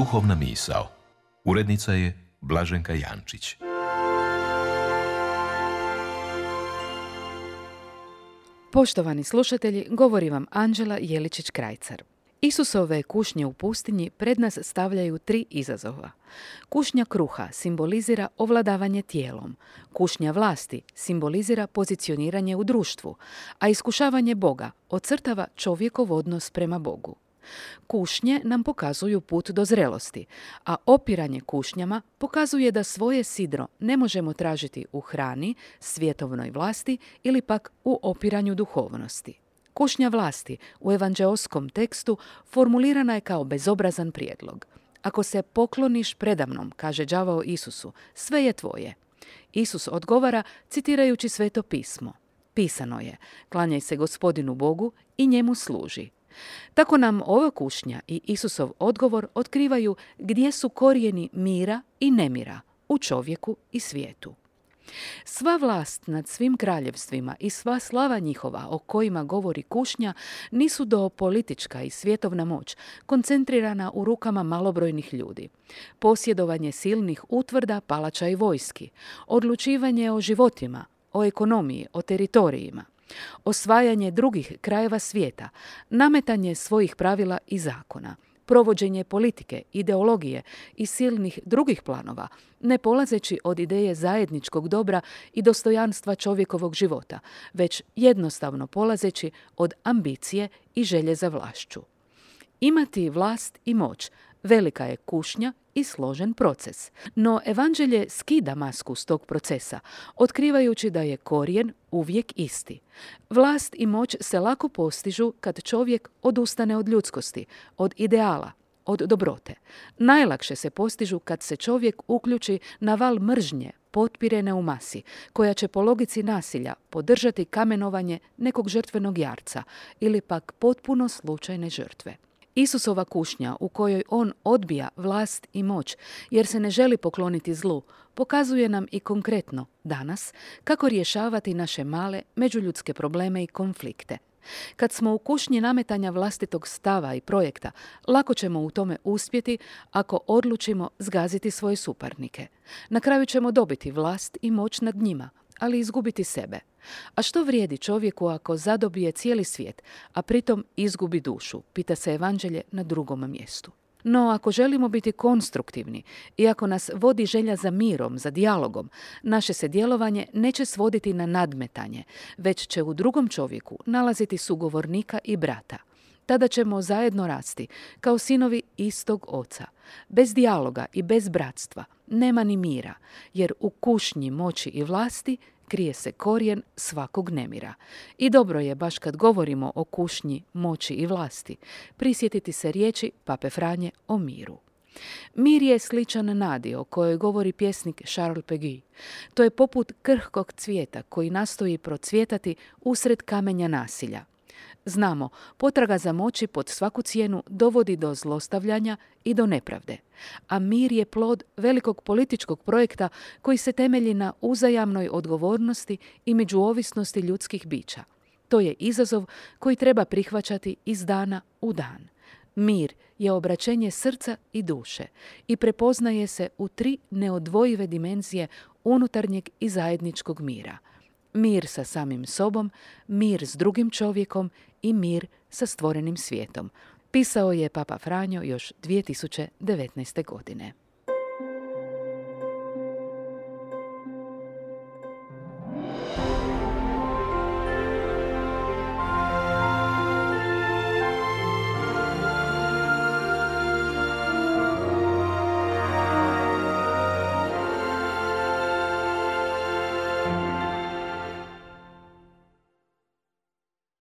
Duhovna misao. Urednica je Blaženka Jančić. Poštovani slušatelji, govori vam Anđela Jeličić-Krajcar. Isusove kušnje u pustinji pred nas stavljaju 3 izazova. Kušnja kruha simbolizira ovladavanje tijelom, kušnja vlasti simbolizira pozicioniranje u društvu, a iskušavanje Boga ocrtava čovjekov odnos prema Bogu. Kušnje nam pokazuju put do zrelosti, a opiranje kušnjama pokazuje da svoje sidro ne možemo tražiti u hrani, svjetovnoj vlasti ili pak u opiranju duhovnosti. Kušnja vlasti u evanđeoskom tekstu formulirana je kao bezobrazan prijedlog. Ako se pokloniš predamnom, kaže đavao Isusu, sve je tvoje. Isus odgovara citirajući Sveto pismo. Pisano je, klanjaj se Gospodinu Bogu i njemu služi. Tako nam ova kušnja i Isusov odgovor otkrivaju gdje su korijeni mira i nemira u čovjeku i svijetu. Sva vlast nad svim kraljevstvima i sva slava njihova o kojima govori kušnja nisu do politička i svjetovna moć koncentrirana u rukama malobrojnih ljudi. Posjedovanje silnih utvrda, palača i vojski, odlučivanje o životima, o ekonomiji, o teritorijima, osvajanje drugih krajeva svijeta, nametanje svojih pravila i zakona, provođenje politike, ideologije i silnih drugih planova, ne polazeći od ideje zajedničkog dobra i dostojanstva čovjekovog života, već jednostavno polazeći od ambicije i želje za vlašću. Imati vlast i moć velika je kušnja i složen proces. No evanđelje skida masku s tog procesa, otkrivajući da je korijen uvijek isti. Vlast i moć se lako postižu kad čovjek odustane od ljudskosti, od ideala, od dobrote. Najlakše se postižu kad se čovjek uključi na val mržnje, potpirene u masi, koja će po logici nasilja podržati kamenovanje nekog žrtvenog jarca ili pak potpuno slučajne žrtve. Isusova kušnja u kojoj on odbija vlast i moć jer se ne želi pokloniti zlu, pokazuje nam i konkretno danas kako rješavati naše male međuljudske probleme i konflikte. Kad smo u kušnji nametanja vlastitog stava i projekta, lako ćemo u tome uspjeti ako odlučimo zgaziti svoje suparnike. Na kraju ćemo dobiti vlast i moć nad njima, ali izgubiti sebe. A što vrijedi čovjeku ako zadobije cijeli svijet, a pritom izgubi dušu, pita se evanđelje na 2. mjestu. No, ako želimo biti konstruktivni i ako nas vodi želja za mirom, za dijalogom, naše se djelovanje neće svoditi na nadmetanje, već će u drugom čovjeku nalaziti sugovornika i brata. Tada ćemo zajedno rasti, kao sinovi istog oca. Bez dijaloga i bez bratstva nema ni mira, jer u kušnji moći i vlasti krije se korijen svakog nemira. I dobro je, baš kad govorimo o kušnji, moći i vlasti, prisjetiti se riječi Pape Franje o miru. Mir je sličan nadi o kojoj govori pjesnik Charles Péguy. To je poput krhkog cvijeta koji nastoji procvjetati usred kamenja nasilja. Znamo, potraga za moći pod svaku cijenu dovodi do zlostavljanja i do nepravde. A mir je plod velikog političkog projekta koji se temelji na uzajamnoj odgovornosti i međuovisnosti ljudskih bića. To je izazov koji treba prihvaćati iz dana u dan. Mir je obraćenje srca i duše i prepoznaje se u 3 neodvojive dimenzije unutarnjeg i zajedničkog mira. Mir sa samim sobom, mir s drugim čovjekom i mir sa stvorenim svijetom. Pisao je Papa Franjo još 2019. godine.